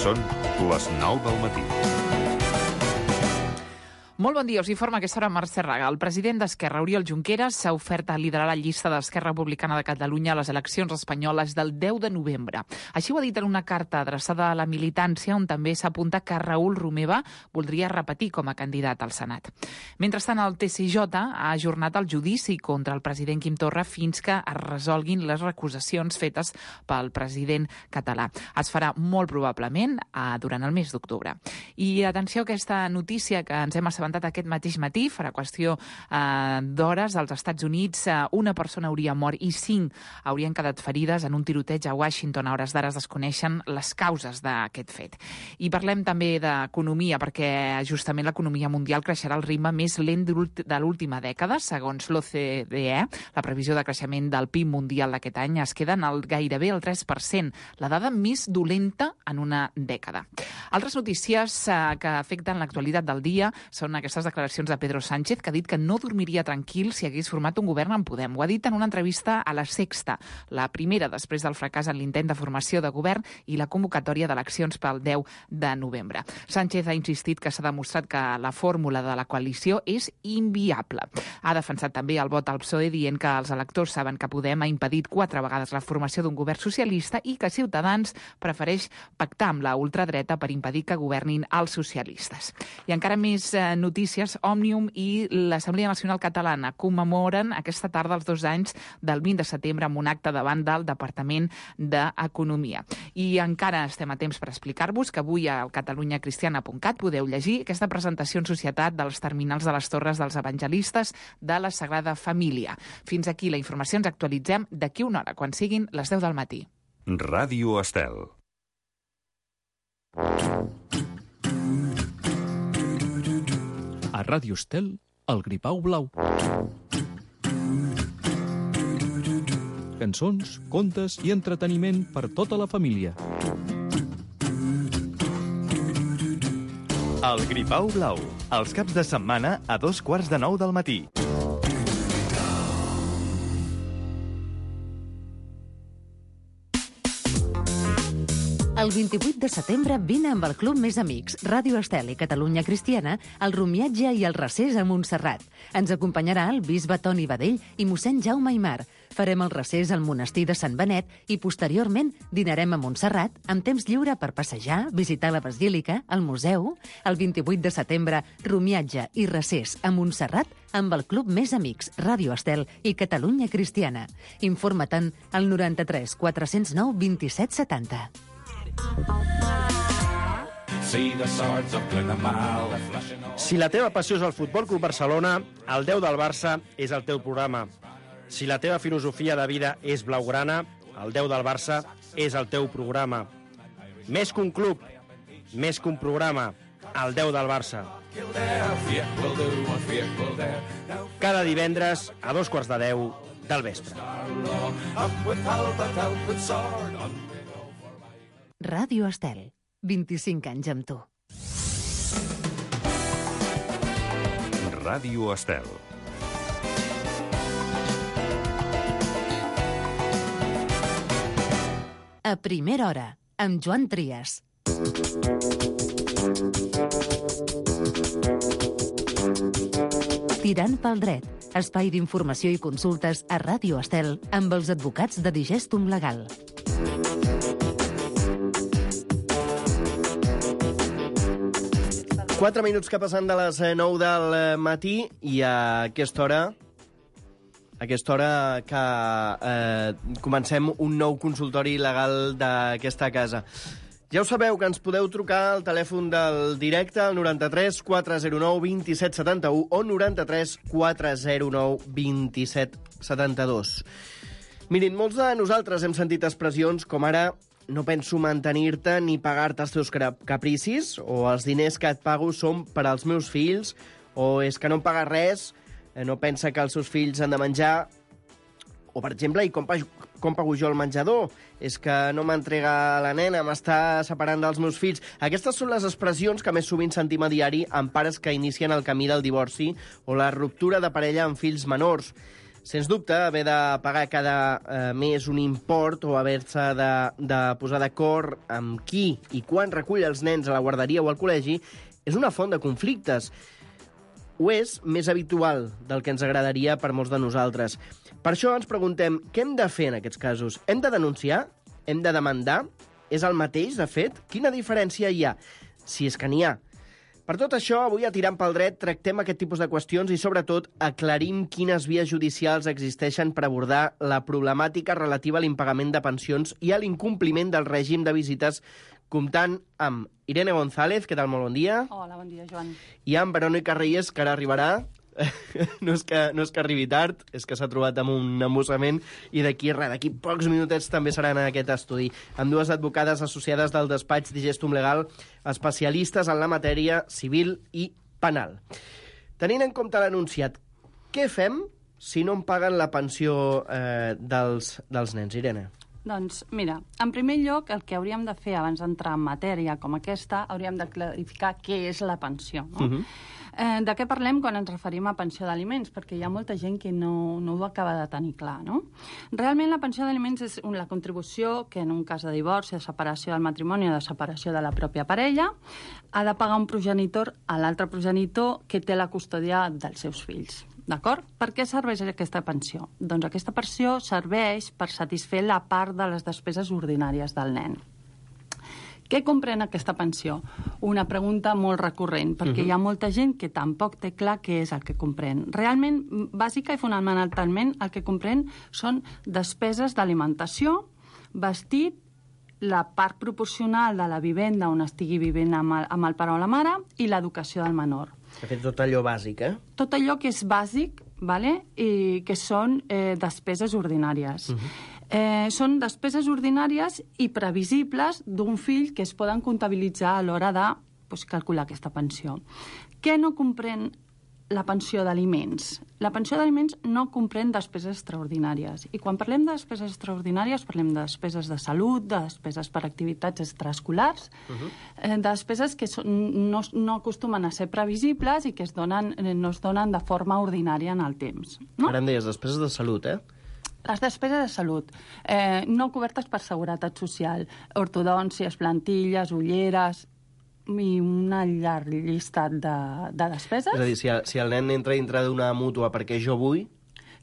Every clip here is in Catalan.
Són les 9 del matí. Molt bon dia, us informa a aquesta hora Mercè Raga. El president d'Esquerra, Oriol Junqueras, s'ha ofert a liderar la llista d'Esquerra Republicana de Catalunya a les eleccions espanyoles del 10 de novembre. Així ho ha dit en una carta adreçada a la militància, on també s'apunta que Raül Romeva voldria repetir com a candidat al Senat. Mentrestant, el TSJ ha ajornat el judici contra el president Quim Torra fins que es resolguin les recusacions fetes pel president català. Es farà molt probablement durant el mes d'octubre. I atenció a aquesta notícia que ens hem assabentat aquest mateix matí, farà qüestió d'hores, als Estats Units una persona hauria mort i 5 haurien quedat ferides en un tiroteig a Washington. A hores d'ara es desconeixen les causes d'aquest fet. I parlem també d'economia, perquè justament l'economia mundial creixerà al ritme més lent de l'última dècada. Segons l'OCDE, la previsió de creixement del PIB mundial d'aquest any es queda en gairebé el 3%, la dada més dolenta en una dècada. Altres notícies que afecten l'actualitat del dia són aquestes declaracions de Pedro Sánchez, que ha dit que no dormiria tranquil si hagués format un govern amb Podem. Ho ha dit en una entrevista a La Sexta, la primera després del fracàs en l'intent de formació de govern i la convocatòria d'eleccions pel 10 de novembre. Sánchez ha insistit que s'ha demostrat que la fórmula de la coalició és inviable. Ha defensat també el vot al PSOE dient que els electors saben que Podem ha impedit 4 vegades la formació d'un govern socialista i que Ciutadans prefereix pactar amb la ultradreta per impedir que governin els socialistes. I encara més notícies. Òmnium i l'Assemblea Nacional Catalana commemoren aquesta tarda els 2 anys del 20 de setembre amb un acte davant del Departament d'Economia. I encara estem a temps per explicar-vos que avui a catalunyacristiana.cat podeu llegir aquesta presentació en societat dels terminals de les Torres dels Evangelistes de la Sagrada Família. Fins aquí la informació. Ens actualitzem d'aquí una hora, quan siguin les 10 del matí. Ràdio Estel. A Ràdio Estel, el Gripau Blau. Cançons, contes i entreteniment per tota la família. El Gripau Blau, els caps de setmana a 8:45 del matí. El 28 de setembre vine amb el Club Més Amics, Ràdio Estel i Catalunya Cristiana, al Romiatge i el Recés a Montserrat. Ens acompanyarà el bisbe Toni Badell i mossèn Jaume Aimar. Farem el recés al monestir de Sant Benet i posteriorment dinarem a Montserrat amb temps lliure per passejar, visitar la basílica, el museu. El 28 de setembre, Romiatge i Recés a Montserrat amb el Club Més Amics, Ràdio Estel i Catalunya Cristiana. Informa-te'n al 93 409 27 70. Si la teva passió és el Futbol Club Barcelona, el 10 del Barça és el teu programa. Si la teva filosofia de vida és blaugrana, el 10 del Barça és el teu programa. Més que un club, més que un programa, el 10 del Barça. Cada divendres a 9:15 del vespre. Ràdio Estel, 25 anys amb tu. Ràdio Estel. A primera hora, amb Joan Trias. Tirant pel dret, espai d'informació i consultes a Ràdio Estel amb els advocats de Digestum Legal. Quatre minuts que passen de les 9 del matí i a aquesta hora que comencem un nou consultori legal d'aquesta casa. Ja ho sabeu, que ens podeu trucar al telèfon del directe, al 93 409 27 71 o 93 409 27 72. Mirin, molts de nosaltres hem sentit expressions com ara: no penso mantenir-te ni pagar-te els teus capricis, o els diners que et pago són per als meus fills, o és que no em paga res, no pensa que els seus fills han de menjar, o, per exemple, i com pago jo el menjador? És que no m'entrega la nena, m'està separant dels meus fills. Aquestes són les expressions que més sovint sentim a diari amb pares que inicien el camí del divorci o la ruptura de parella amb fills menors. Sens dubte, haver de pagar cada mes un import o haver-se de posar d'acord amb qui i quan recull els nens a la guarderia o al col·legi és una font de conflictes. Ho és més habitual del que ens agradaria per molts de nosaltres. Per això ens preguntem què hem de fer en aquests casos. Hem de denunciar? Hem de demandar? És el mateix, de fet? Quina diferència hi ha? Si és que n'hi ha. Per tot això, avui a Tirant pel Dret tractem aquest tipus de qüestions i, sobretot, aclarim quines vies judicials existeixen per abordar la problemàtica relativa a l'impagament de pensions i a l'incompliment del règim de visites, comptant amb Irene González, què tal? Molt bon dia. Hola, bon dia, Joan. I amb Verònica Reyes, que ara arribarà. No és que arribi tard, és que s'ha trobat amb un embussament i d'aquí pocs minutets també seran en aquest estudi, amb dues advocades associades del despatx Digestum Legal, especialistes en la matèria civil i penal. Tenint en compte l'anunciat, què fem si no em paguen la pensió dels nens, Irene? Doncs, mira, en primer lloc, el que hauríem de fer abans d'entrar en matèria com aquesta, hauríem de clarificar què és la pensió, no? De què parlem quan ens referim a pensió d'aliments? Perquè hi ha molta gent que no ho acaba de tenir clar, no? Realment la pensió d'aliments és la contribució que en un cas de divorci, de separació del matrimoni o de separació de la pròpia parella ha de pagar un progenitor a l'altre progenitor que té la custòdia dels seus fills. D'acord? Per què serveix aquesta pensió? Doncs aquesta pensió serveix per satisfer la part de les despeses ordinàries del nen. Què comprèn aquesta pensió? Una pregunta molt recurrent, perquè hi ha molta gent que tampoc té clar què és el que comprèn. Realment, bàsica i fonamentalment, el que comprèn són despeses d'alimentació, vestit, la part proporcional de la vivenda on estigui vivint amb el pare o la mare i l'educació del menor. De fet, tot allò bàsic, Tot allò que és bàsic, i que són despeses ordinàries. Són despeses ordinàries i previsibles d'un fill que es poden comptabilitzar a l'hora de calcular aquesta pensió. Què no comprèn la pensió d'aliments? La pensió d'aliments no comprèn despeses extraordinàries. I quan parlem de despeses extraordinàries, parlem de despeses de salut, de despeses per activitats extraescolars, despeses que no acostumen a ser previsibles i que no es donen de forma ordinària en el temps. Ara em deies despeses de salut, Les despeses de salut, no cobertes per seguretat social, ortodòncies, plantilles, ulleres i una llarga llista de despeses. És a dir, si el nen entra dintre d'una mútua perquè jo vull,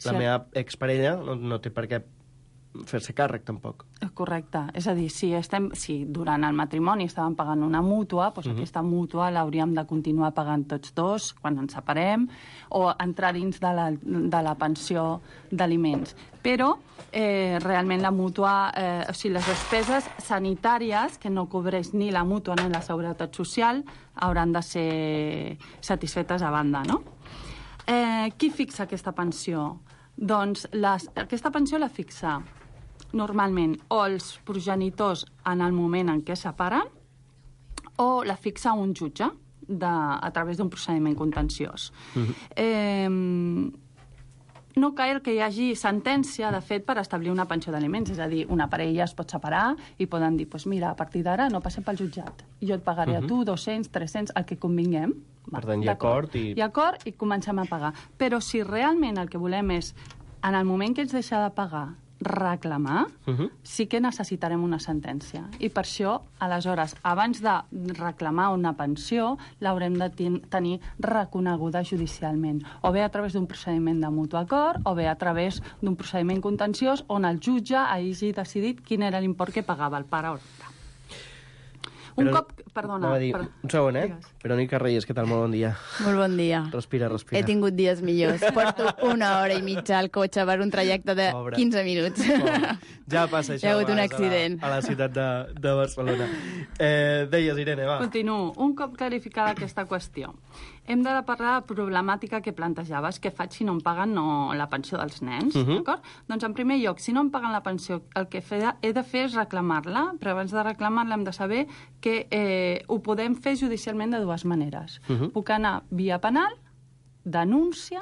la meva exparella no té per què fer-se càrrec, tampoc. Correcte. És a dir, si durant el matrimoni estàvem pagant una mútua, doncs aquesta mútua l'hauríem de continuar pagant tots dos quan ens separem o entrar dins de la pensió d'aliments. Però realment la mútua, les despeses sanitàries, que no cobreix ni la mútua ni la seguretat social, hauran de ser satisfetes a banda, no? Qui fixa aquesta pensió? Doncs aquesta pensió la fixa normalment o els progenitors en el moment en què separen o la fixa un jutge a través d'un procediment contenciós. No cal que hi hagi sentència, de fet, per establir una pensió d'aliments. És a dir, una parella es pot separar i poden dir, mira, a partir d'ara no passem pel jutjat. Jo et pagaré a tu 200, 300, el que convinguem. Per tant, hi ha acord i... Hi ha acord i comencem a pagar. Però si realment el que volem és, en el moment que ets deixar de pagar, reclamar, sí que necessitarem una sentència. I per això, aleshores, abans de reclamar una pensió, l'haurem de tenir reconeguda judicialment. O bé a través d'un procediment de mutu acord, o bé a través d'un procediment contenciós on el jutge hagi decidit quin era l'import que pagava el pare o l'altre. Perdona. Un segon, Verònica Reyes, què tal? Molt bon dia. Molt bon dia. Respira. He tingut dies millors. Porto 1 hora i mitja al cotxe per un trajecte de 15 minuts. Ja passa això. Hi ha hagut un accident. A la ciutat de Barcelona. Deies, Irene, va. Continuo. Un cop clarificada aquesta qüestió, hem de parlar de la problemàtica que plantejaves, què faig si no em paguen la pensió dels nens, d'acord? Doncs, en primer lloc, si no em paguen la pensió, el que he de fer és reclamar-la, però abans de reclamar-la hem de saber que ho podem fer judicialment de dues maneres. Puc anar via penal, denúncia,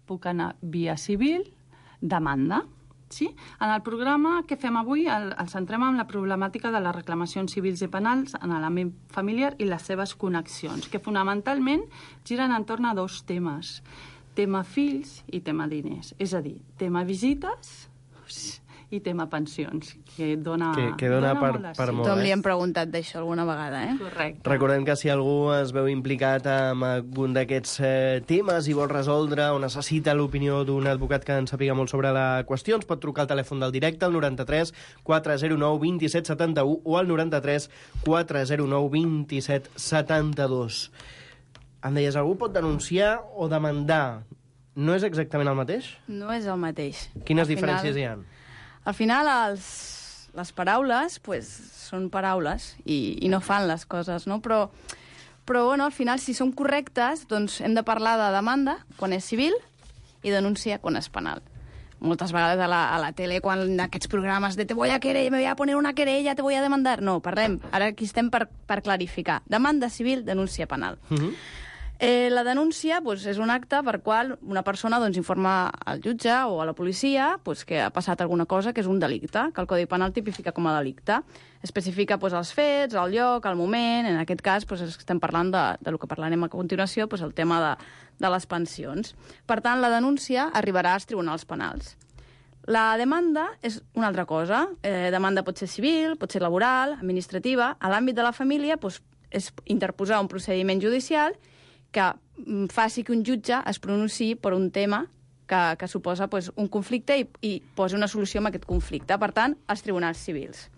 puc anar via civil, demanda. Sí? En el programa que fem avui ens centrem en la problemàtica de les reclamacions civils i penals en l'àmbit familiar i les seves connexions, que fonamentalment giren entorn a 2 temes. tema fills i tema diners. És a dir, tema visites i tema pensions, que dona per molt. Tom li hem preguntat d'això alguna vegada, Correcte. Recordem que si algú es veu implicat en algun d'aquests temes i vol resoldre o necessita l'opinió d'un advocat que en sàpiga molt sobre la qüestió, ens pot trucar al telèfon del directe, al 93 409 27 71 o al 93 409 27 72. Em deies, algú pot denunciar o demandar. No és exactament el mateix? No és el mateix. Quines diferències hi ha? Al final, les paraules són paraules i no fan les coses, no? Però bueno, al final, si són correctes, doncs hem de parlar de demanda quan és civil i denúncia quan és penal. Moltes vegades a la tele, quan aquests programes de te voy a querer, me voy a poner una querella, te voy a demandar... No, parlem. Ara aquí estem per clarificar. Demanda civil, denúncia penal. La denúncia és un acte per qual una persona informa al jutge o a la policia que ha passat alguna cosa que és un delicte, que el Codi Penal tipifica com a delicte. Especifica els fets, el lloc, el moment. En aquest cas estem parlant del que parlarem a continuació, el tema de les pensions. Per tant, la denúncia arribarà als tribunals penals. La demanda és una altra cosa. Demanda pot ser civil, pot ser laboral, administrativa. A l'àmbit de la família és interposar un procediment judicial que faci que un jutge es pronunciï per un tema que suposa un conflicte i posi una solució a aquest conflicte. Per tant, als tribunals civils.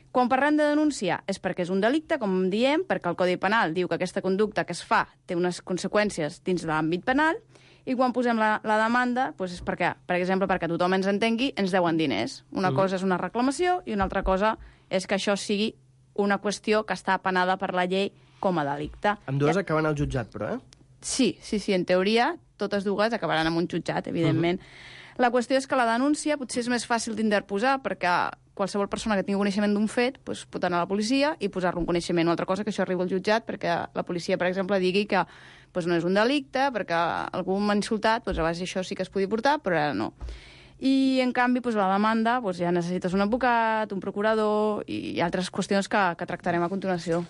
Quan parlem de denúncia és perquè és un delicte, com diem, perquè el Codi Penal diu que aquesta conducta que es fa té unes conseqüències dins de l'àmbit penal, i quan posem la demanda és perquè, per exemple, perquè tothom ens entengui, ens deuen diners. Una cosa és una reclamació i una altra cosa és que això sigui una qüestió que està penada per la llei com a delicte. Ambdues acaben al jutjat, però, Sí, en teoria, totes dues acabaran en un jutjat, evidentment. La qüestió és que la denúncia potser és més fàcil d'interposar perquè qualsevol persona que tingui coneixement d'un fet pot anar a la policia i posar-lo en coneixement. Una altra cosa que això arriba al jutjat perquè la policia, per exemple, digui que no és un delicte, perquè algú m'ha insultat, abans això sí que es podia portar, però ara no. I, en canvi, la demanda, ja necessites un advocat, un procurador i altres qüestions que tractarem a continuació.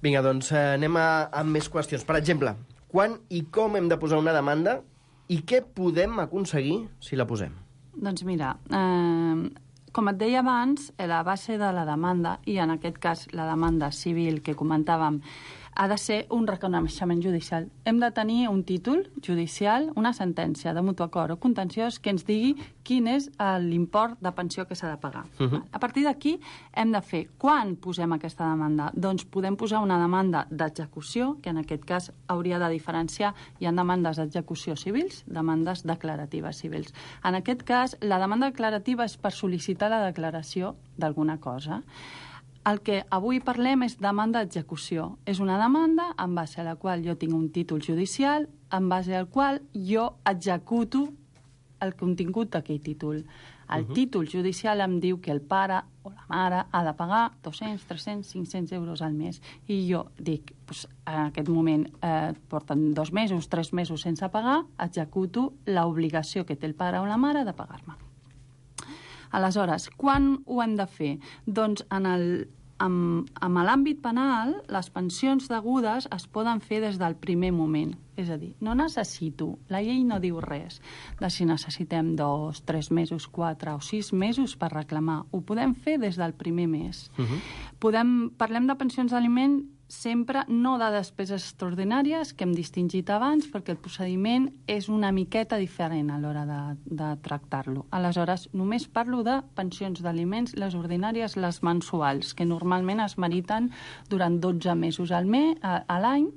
Vinga, doncs anem amb més qüestions. Per exemple, quan i com hem de posar una demanda i què podem aconseguir si la posem? Doncs mira, com et deia abans, la base de la demanda, i en aquest cas la demanda civil que comentàvem, ha de ser un reconeixement judicial. Hem de tenir un títol judicial, una sentència de mutu acord o contenciós que ens digui quin és l'import de pensió que s'ha de pagar. A partir d'aquí hem de fer, quan posem aquesta demanda? Doncs podem posar una demanda d'execució, que en aquest cas hauria de diferenciar, hi ha demandes d'execució civils, demandes declaratives civils. En aquest cas, la demanda declarativa és per sol·licitar la declaració d'alguna cosa. El que avui parlem és demanda d'execució. És una demanda en base a la qual jo tinc un títol judicial, en base al qual jo executo el contingut d'aquell títol. El títol judicial em diu que el pare o la mare ha de pagar 200, 300, 500 euros al mes. I jo dic, en aquest moment porten 2 mesos, 3 mesos sense pagar, executo l'obligació que té el pare o la mare de pagar-me. Aleshores, quan ho hem de fer? Doncs en l'àmbit penal, les pensions degudes es poden fer des del primer moment. És a dir, no necessito, la llei no diu res de si necessitem 2, 3 mesos, 4 o 6 mesos per reclamar. Ho podem fer des del primer mes. Parlem de pensions d'aliment sempre no de despeses extraordinàries, que hem distingit abans, perquè el procediment és una miqueta diferent a l'hora de tractar-lo. Aleshores, només parlo de pensions d'aliments, les ordinàries, les mensuals, que normalment es meriten durant 12 mesos a l'any.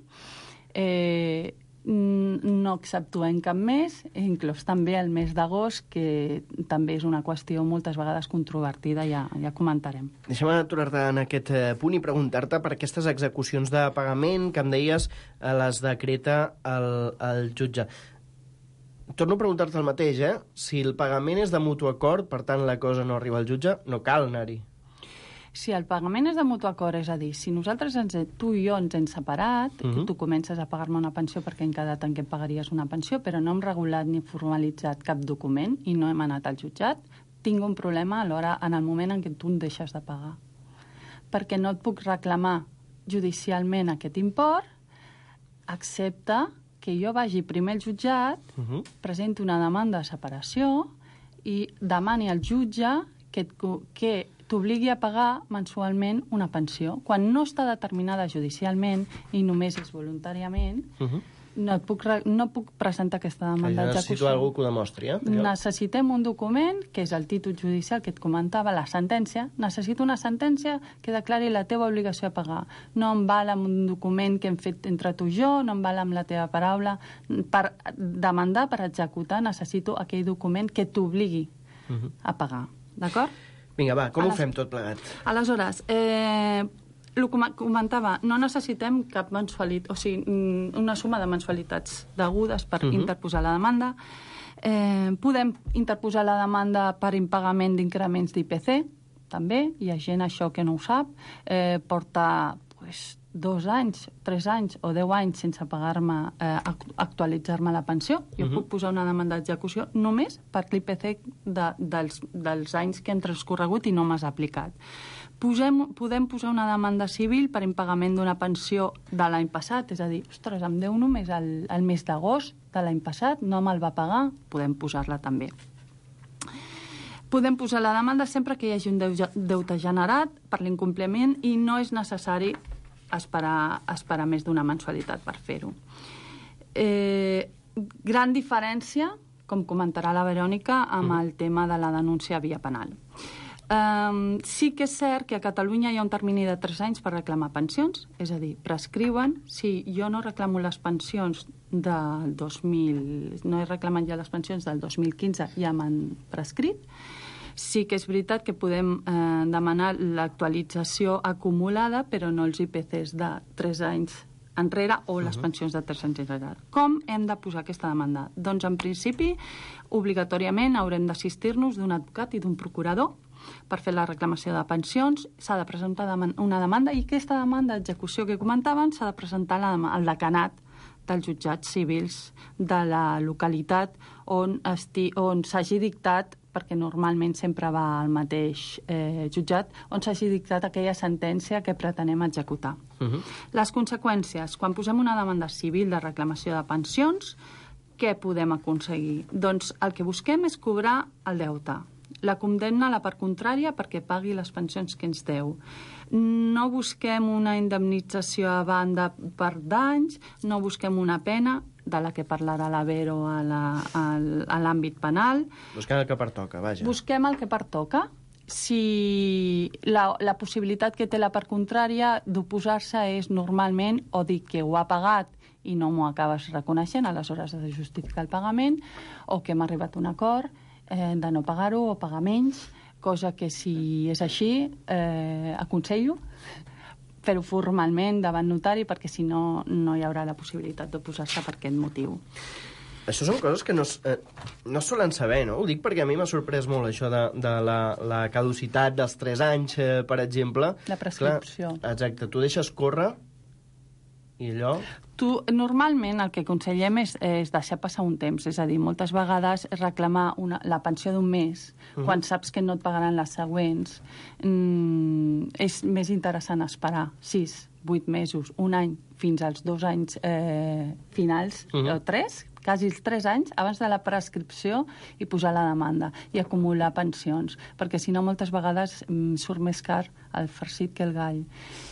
No exceptuem cap mes, inclús també el mes d'agost, que també és una qüestió moltes vegades controvertida, ja comentarem. Deixa'm aturar-te en aquest punt i preguntar-te per aquestes execucions de pagament que em deies les decreta el jutge. Torno a preguntar-te el mateix, Si el pagament és de mutu acord, per tant la cosa no arriba al jutge, no cal anar-hi. Si el pagament és de mutu acord, és a dir, si nosaltres, tu i jo, ens hem separat, tu comences a pagar-me una pensió perquè hem quedat en què em pagaries una pensió, però no hem regulat ni formalitzat cap document i no hem anat al jutjat, tinc un problema alhora en el moment en què tu em deixes de pagar. Perquè no et puc reclamar judicialment aquest import, excepte que jo vagi primer al jutjat, presenti una demanda de separació i demani al jutge que t'obligui a pagar mensualment una pensió. Quan no està determinada judicialment i només és voluntàriament, no puc presentar aquesta demanda d'execució. Necessito algú que ho demostri, Necessitem un document, que és el títol judicial que et comentava, la sentència. Necessito una sentència que declari la teva obligació a pagar. No em val amb un document que hem fet entre tu i jo, no em val amb la teva paraula. Per demandar, per executar, necessito aquell document que t'obligui a pagar. D'acord? Vinga, va, com ho fem tot plegat? Aleshores, el comentava, no necessitem cap mensualitat, o sigui, una suma de mensualitats degudes per interposar la demanda. Podem interposar la demanda per impagament d'increments d'IPC, també. Hi ha gent, això, que no ho sap. Porta 2 anys, 3 anys o 10 anys sense pagar-me, actualitzar-me la pensió. Jo puc posar una demanda d'execució només per l'IPC dels anys que han transcorregut i no m'has aplicat. Podem posar una demanda civil per impagament d'una pensió de l'any passat, és a dir, ostres, em deu només el mes d'agost de l'any passat, no me'l va pagar, podem posar-la també. Podem posar la demanda sempre que hi hagi un deute generat per l'incompliment i no és necessari esperar més d'una mensualitat per fer-ho. Gran diferència, com comentarà la Verònica, amb el tema de la denúncia via penal. Sí que és cert que a Catalunya hi ha un termini de 3 anys per reclamar pensions, és a dir, prescriuen. Si jo no reclamo les pensions del 2000, no he reclamat ja les pensions del 2015, ja m'han prescrit. Sí que és veritat que podem demanar l'actualització acumulada, però no els IPCs de 3 anys enrere o les pensions de 3 anys enrere. Com hem de posar aquesta demanda? Doncs, en principi, obligatòriament haurem d'assistir-nos d'un advocat i d'un procurador per fer la reclamació de pensions. S'ha de presentar una demanda i aquesta demanda d'execució que comentaven s'ha de presentar al decanat dels jutjats civils de la localitat on s'hagi dictat, perquè normalment sempre va al mateix jutjat, on s'hagi dictat aquella sentència que pretenem executar. Les conseqüències, quan posem una demanda civil de reclamació de pensions, què podem aconseguir? Doncs el que busquem és cobrar el deute. La condemna a la part contrària perquè pagui les pensions que ens deu. No busquem una indemnització a banda per danys, no busquem una pena, de la que parlarà la Vero a l'àmbit penal. Busquem el que pertoca, vaja. Busquem el que pertoca. Si la possibilitat que té la part contrària d'oposar-se és normalment o dir que ho ha pagat i no m'ho acabes reconeixent, aleshores has de justificar el pagament, o que hem arribat a un acord de no pagar-ho o pagar menys, cosa que si és així aconsello fer-ho formalment davant notari, perquè si no, no hi haurà la possibilitat d'oposar-se per aquest motiu. Això són coses que no solen saber, no? Ho dic perquè a mi m'ha sorprès molt això de la caducitat dels 3 anys, per exemple. La prescripció. Clar, exacte, tu deixes córrer i allò... Normalment el que aconsellem és deixar passar un temps, és a dir, moltes vegades reclamar la pensió d'un mes, quan saps que no et pagaran les següents, és més interessant esperar 6, 8 mesos, un any, fins als 2 anys finals, o 3, quasi els 3 anys, abans de la prescripció i posar la demanda i acumular pensions, perquè si no moltes vegades surt més car el farcit que el gall.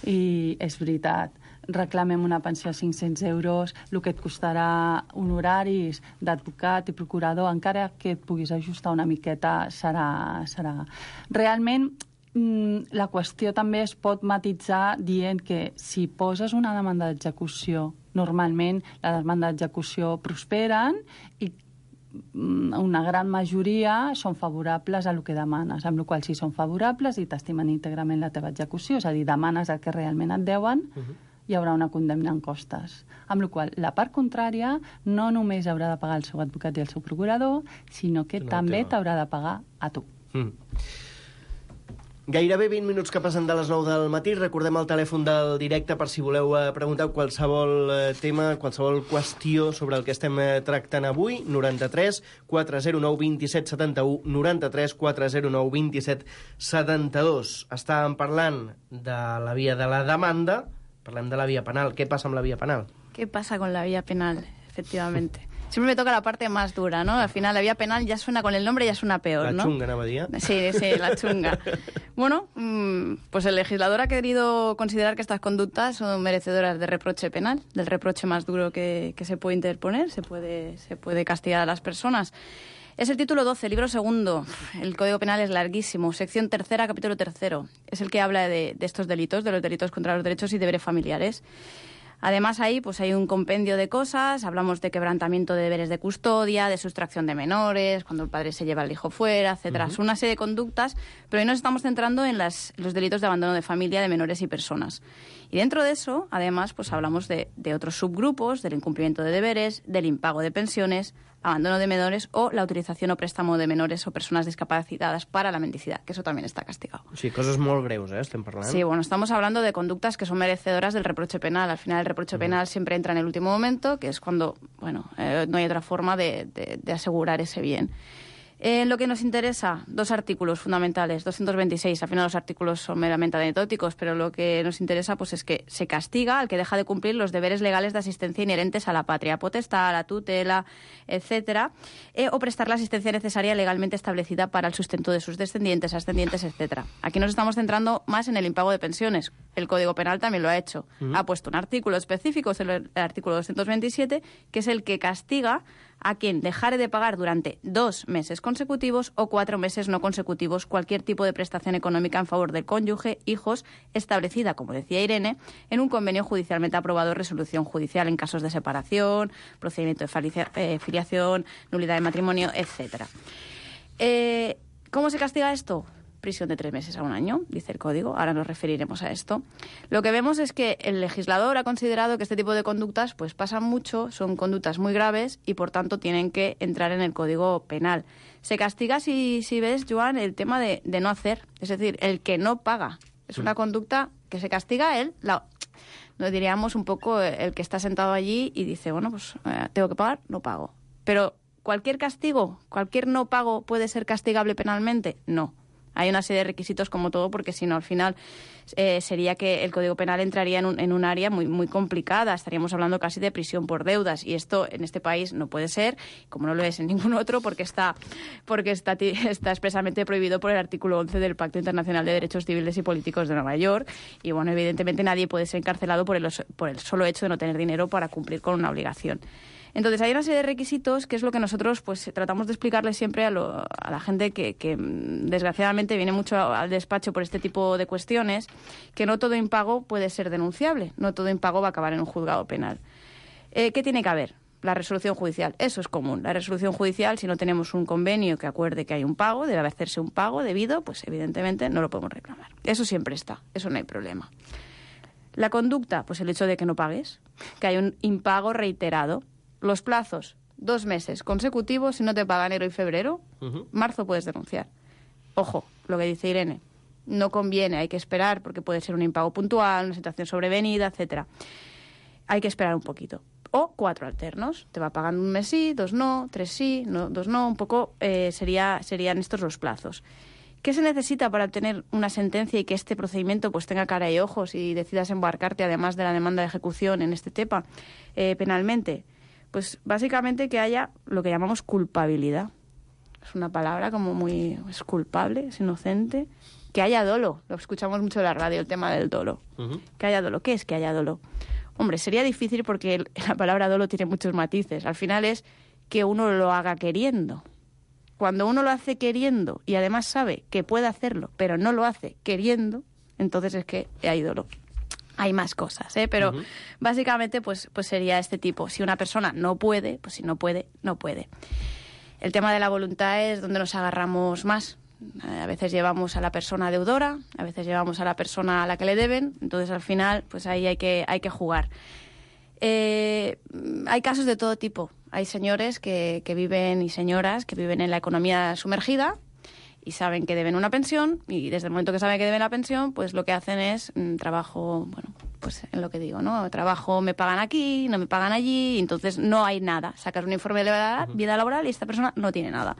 I és veritat, reclamem una pensió de 500 euros, el que et costarà honoraris d'advocat i procurador, encara que et puguis ajustar una miqueta, serà... Realment, la qüestió també es pot matitzar dient que si poses una demanda d'execució, normalment la demanda d'execució prosperen i una gran majoria són favorables a el que demanes, amb la qual si són favorables i t'estimen íntegrament la teva execució, és a dir, demanes el que realment et deuen, hi haurà una condemna en costes. Amb la qual la part contrària no només haurà de pagar el seu advocat i el seu procurador, sinó que també t'haurà de pagar a tu. Gairebé 20 minuts que passen de les 9 del matí. Recordem el telèfon del directe per si voleu preguntar qualsevol tema, qualsevol qüestió sobre el que estem tractant avui. 93 409 27 71, 93 409 27 72. Estàvem parlant de la via de la demanda, parlem de la via penal. Què passa amb la via penal? ¿Qué pasa con la vía penal? efectivamente. Siempre me toca la parte más dura, ¿no? Al final, la vía penal ya suena con el nombre, ya suena peor, ¿no? La chunga, anava a dir. Sí, la chunga. Bueno, pues el legislador ha querido considerar que estas conductas son merecedoras de reproche penal, del reproche más duro que se puede interponer, se puede castigar a las personas. Es el título 12, libro segundo. El Código Penal es larguísimo. Sección tercera, capítulo tercero. Es el que habla de estos delitos, de los delitos contra los derechos y deberes familiares. Además, ahí pues hay un compendio de cosas. Hablamos de quebrantamiento de deberes de custodia, de sustracción de menores, cuando el padre se lleva al hijo fuera, etcétera. Son una serie de conductas, pero hoy nos estamos centrando en los delitos de abandono de familia de menores y personas. Y dentro de eso, además, pues hablamos de otros subgrupos, del incumplimiento de deberes, del impago de pensiones, abandono de menores o la utilización o préstamo de menores o personas discapacitadas para la mendicidad, que eso también está castigado. Sí, coses molt greus, estem parlant. Sí, bueno, estamos hablando de conductas que son merecedoras del reproche penal. Al final, el reproche penal siempre entra en el último momento, que es cuando, bueno, no hay otra forma de asegurar ese bien. Lo que nos interesa, dos artículos fundamentales, 226. Al final los artículos son meramente anecdóticos, pero lo que nos interesa pues es que se castiga al que deja de cumplir los deberes legales de asistencia inherentes a la patria potestad, a la tutela, etcétera, o prestar la asistencia necesaria legalmente establecida para el sustento de sus descendientes, ascendientes, etcétera. Aquí nos estamos centrando más en el impago de pensiones. El Código Penal también lo ha hecho. Ha puesto un artículo específico, es el artículo 227, que es el que castiga a quien dejare de pagar durante 2 meses consecutivos o 4 meses no consecutivos cualquier tipo de prestación económica en favor del cónyuge, hijos, establecida, como decía Irene, en un convenio judicialmente aprobado o resolución judicial en casos de separación, procedimiento de filiación, nulidad de matrimonio, etcétera. ¿Cómo se castiga esto? Prisión de 3 meses a 1 año, dice el Código. Ahora nos referiremos a esto. Lo que vemos es que el legislador ha considerado que este tipo de conductas pues pasan mucho, son conductas muy graves y, por tanto, tienen que entrar en el Código Penal. Se castiga, si ves, Joan, el tema de no hacer, es decir, el que no paga. Es una conducta que se castiga él, no diríamos un poco el que está sentado allí y dice, bueno, pues tengo que pagar, no pago. Pero ¿cualquier castigo, cualquier no pago puede ser castigable penalmente? No. Hay una serie de requisitos como todo, porque si no, al final sería que el Código Penal entraría en un área muy, muy complicada. Estaríamos hablando casi de prisión por deudas. Y esto en este país no puede ser, como no lo es en ningún otro, porque está expresamente prohibido por el artículo 11 del Pacto Internacional de Derechos Civiles y Políticos de Nueva York. Y bueno, evidentemente nadie puede ser encarcelado por el solo hecho de no tener dinero para cumplir con una obligación. Entonces, hay una serie de requisitos que es lo que nosotros pues tratamos de explicarle siempre a la gente que desgraciadamente viene mucho al despacho por este tipo de cuestiones, que no todo impago puede ser denunciable, no todo impago va a acabar en un juzgado penal. ¿Qué tiene que haber? La resolución judicial, eso es común. La resolución judicial, si no tenemos un convenio que acuerde que hay un pago, debe hacerse un pago debido, pues evidentemente no lo podemos reclamar. Eso siempre está, eso no hay problema. La conducta, pues el hecho de que no pagues, que hay un impago reiterado. Los plazos, 2 meses consecutivos, si no te paga enero y febrero, marzo puedes denunciar. Ojo, lo que dice Irene, no conviene, hay que esperar porque puede ser un impago puntual, una situación sobrevenida, etcétera. Hay que esperar un poquito. O 4 alternos, te va pagando 1 mes sí, 2 no, 3 sí, 2 no, un poco serían estos los plazos. ¿Qué se necesita para obtener una sentencia y que este procedimiento pues tenga cara y ojos y decidas embarcarte, además de la demanda de ejecución en este tema, penalmente? Pues básicamente que haya lo que llamamos culpabilidad. Es una palabra como muy... es culpable, es inocente. Que haya dolo. Lo escuchamos mucho en la radio, el tema del dolo. Que haya dolo. ¿Qué es que haya dolo? Hombre, sería difícil porque la palabra dolo tiene muchos matices. Al final es que uno lo haga queriendo. Cuando uno lo hace queriendo y además sabe que puede hacerlo, pero no lo hace queriendo, entonces es que hay dolo. Hay más cosas, pero básicamente pues sería este tipo. Si una persona no puede, pues si no puede, no puede. El tema de la voluntad es donde nos agarramos más. A veces llevamos a la persona deudora, a veces llevamos a la persona a la que le deben, entonces al final pues ahí hay que jugar. Hay casos de todo tipo. Hay señores que viven y señoras que viven en la economía sumergida y saben que deben una pensión, y desde el momento que saben que deben la pensión, pues lo que hacen es trabajo, bueno, pues en lo que digo, ¿no? Trabajo, me pagan aquí, no me pagan allí, y entonces no hay nada. Sacas un informe de vida laboral y esta persona no tiene nada.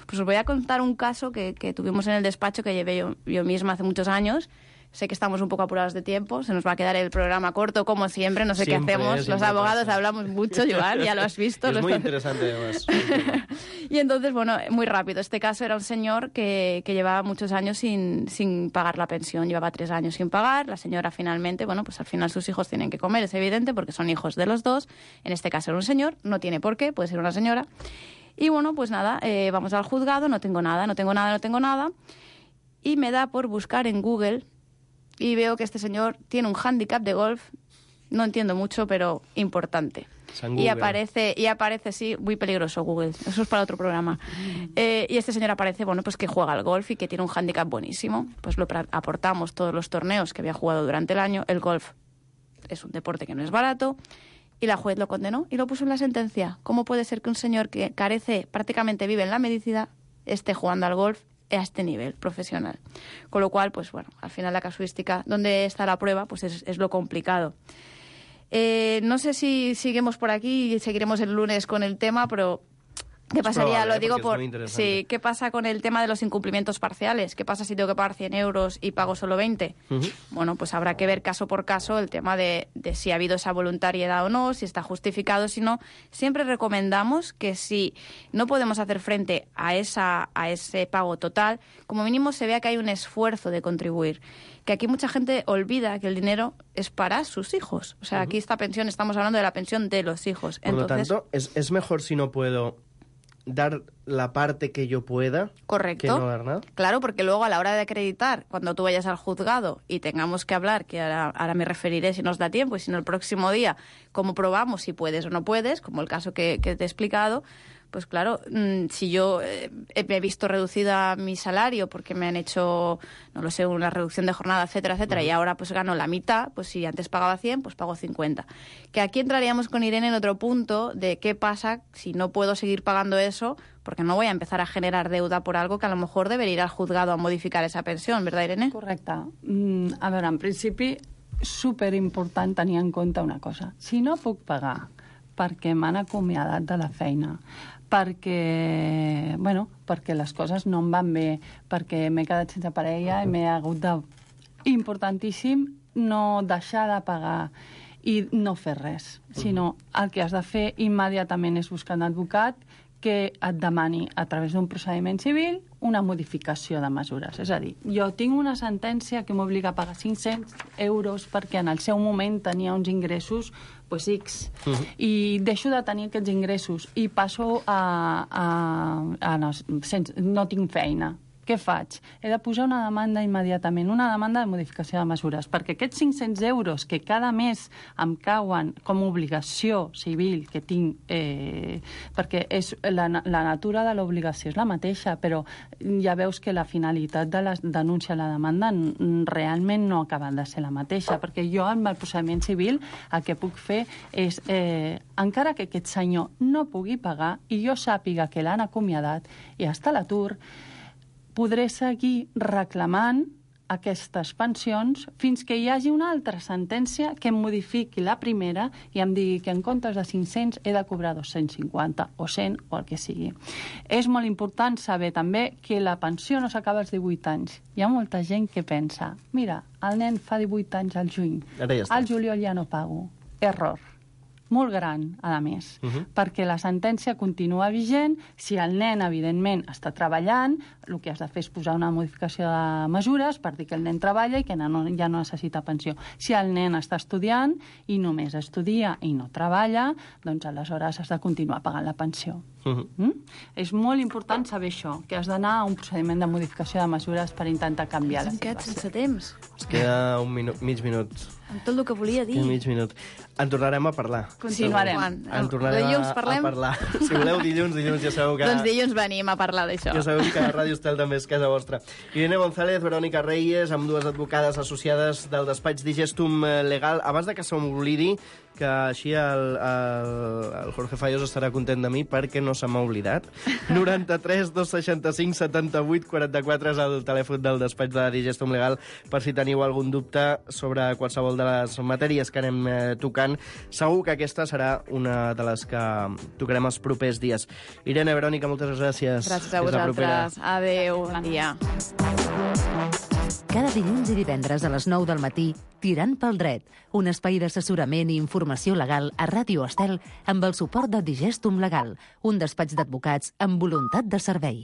Pues os voy a contar un caso que tuvimos en el despacho que llevé yo misma hace muchos años, Sé que estamos un poco apurados de tiempo, se nos va a quedar el programa corto, como siempre, no sé qué Siempre, hacemos. siempre Los abogados pasa. hablamos mucho, Joan, ya lo has visto. Es muy interesante, además. Y entonces, bueno, muy rápido. Este caso era un señor que llevaba muchos años sin pagar la pensión. Llevaba 3 años sin pagar. La señora finalmente, bueno, pues al final sus hijos tienen que comer, es evidente, porque son hijos de los dos. En este caso era un señor, no tiene por qué, puede ser una señora. Y bueno, pues nada, vamos al juzgado, no tengo nada. Y me da por buscar en Google y veo que este señor tiene un hándicap de golf, no entiendo mucho, pero importante. Y aparece, sí, muy peligroso Google, eso es para otro programa. Y este señor aparece, bueno, pues que juega al golf y que tiene un hándicap buenísimo. Pues lo aportamos todos los torneos que había jugado durante el año. El golf es un deporte que no es barato. Y la juez lo condenó y lo puso en la sentencia. ¿Cómo puede ser que un señor que carece, prácticamente vive en la medicina, esté jugando al golf a este nivel profesional? Con lo cual, pues bueno, al final la casuística, ¿dónde está la prueba? Pues es lo complicado. No sé si seguimos por aquí y seguiremos el lunes con el tema, pero ¿qué pasaría? probable, Lo digo sí, ¿qué pasa con el tema de los incumplimientos parciales? ¿Qué pasa si tengo que pagar 100 euros y pago solo 20? Bueno, pues habrá que ver caso por caso el tema de si ha habido esa voluntariedad o no, si está justificado, si no. Siempre recomendamos que si no podemos hacer frente a ese pago total, como mínimo se vea que hay un esfuerzo de contribuir. Que aquí mucha gente olvida que el dinero es para sus hijos. O sea, aquí esta pensión, estamos hablando de la pensión de los hijos. Por lo tanto, es mejor si no puedo dar la parte que yo pueda. Correcto. Que no dar nada. Claro, porque luego a la hora de acreditar, cuando tú vayas al juzgado y tengamos que hablar, que ahora me referiré si nos da tiempo, y si no el próximo día, cómo probamos si puedes o no puedes, como el caso que te he explicado, pues claro, si yo he visto reducida mi salario porque me han hecho, no lo sé, una reducción de jornada, etcétera, etcétera, y ahora pues gano la mitad, pues si antes pagaba 100, pues pago 50. Que aquí entraríamos con Irene en otro punto de qué pasa si no puedo seguir pagando eso, porque no voy a empezar a generar deuda por algo que a lo mejor debería ir al juzgado a modificar esa pensión, ¿verdad, Irene? Correcte. A veure, en principi, superimportant tenir en compte una cosa. Si no puc pagar perquè m'han acomiadat de la feina, perquè les coses no em van bé, perquè m'he quedat sense parella i m'he hagut de... Importantíssim no deixar de pagar i no fer res, sinó el que has de fer immediatament és buscar un advocat que et demani a través d'un procediment civil una modificació de mesures. És a dir, jo tinc una sentència que m'obliga a pagar 500 euros perquè en el seu moment tenia uns ingressos pues, X, i deixo de tenir aquests ingressos i passo no tinc feina. Què faig? He de posar una demanda immediatament, una demanda de modificació de mesures, perquè aquests 500 euros que cada mes em cauen com a obligació civil que tinc, perquè la natura de l'obligació és la mateixa, però ja veus que la finalitat de la denúncia a la demanda realment no acaba de ser la mateixa, perquè jo amb el procediment civil el que puc fer és, encara que aquest senyor no pugui pagar i jo sàpiga que l'han acomiadat i està a l'atur, podré seguir reclamant aquestes pensions fins que hi hagi una altra sentència que em modifiqui la primera i em digui que en comptes de 500 he de cobrar 250 o 100 o el que sigui. És molt important saber també que la pensió no s'acaba als 18 anys. Hi ha molta gent que pensa, mira, el nen fa 18 anys al juny, al juliol ja no pago. Error. Molt gran, a més, perquè la sentència continua vigent. Si el nen, evidentment, està treballant, el que has de fer és posar una modificació de mesures per dir que el nen treballa i que ja no necessita pensió. Si el nen està estudiant i només estudia i no treballa, doncs aleshores has de continuar pagant la pensió. És molt important saber això, que has d'anar a un procediment de modificació de mesures per intentar canviar la situació. Sense temps. Es queda mig minut. Amb tot el que volia dir. Mig minut. En tornarem a parlar. Continuarem. En tornarem a parlar. Si voleu dilluns ja sabeu que... Doncs dilluns venim a parlar d'això. Ja sabeu que Ràdio Estel també és casa vostra. Irene González, Verònica Reyes, amb dues advocades associades del despatx Digestum Legal. Abans de que se m'oblidi, que així el Jorge Fallos estarà content de mi perquè no se m'ha oblidat. 93 265 78 44 és el telèfon del despatx de Digestum Legal per si teniu algun dubte sobre qualsevol de les matèries que anem tocant. Segur que aquesta serà una de les que tocarem els propers dies. Irene, Verònica, moltes gràcies. Gràcies a vosaltres. Adéu, bon dia. Cada dilluns i divendres a les 9 del matí, Tirant pel dret, un espai d'assessorament i informació legal a Ràdio Estel amb el suport de Digestum Legal, un despatx d'advocats amb voluntat de servei.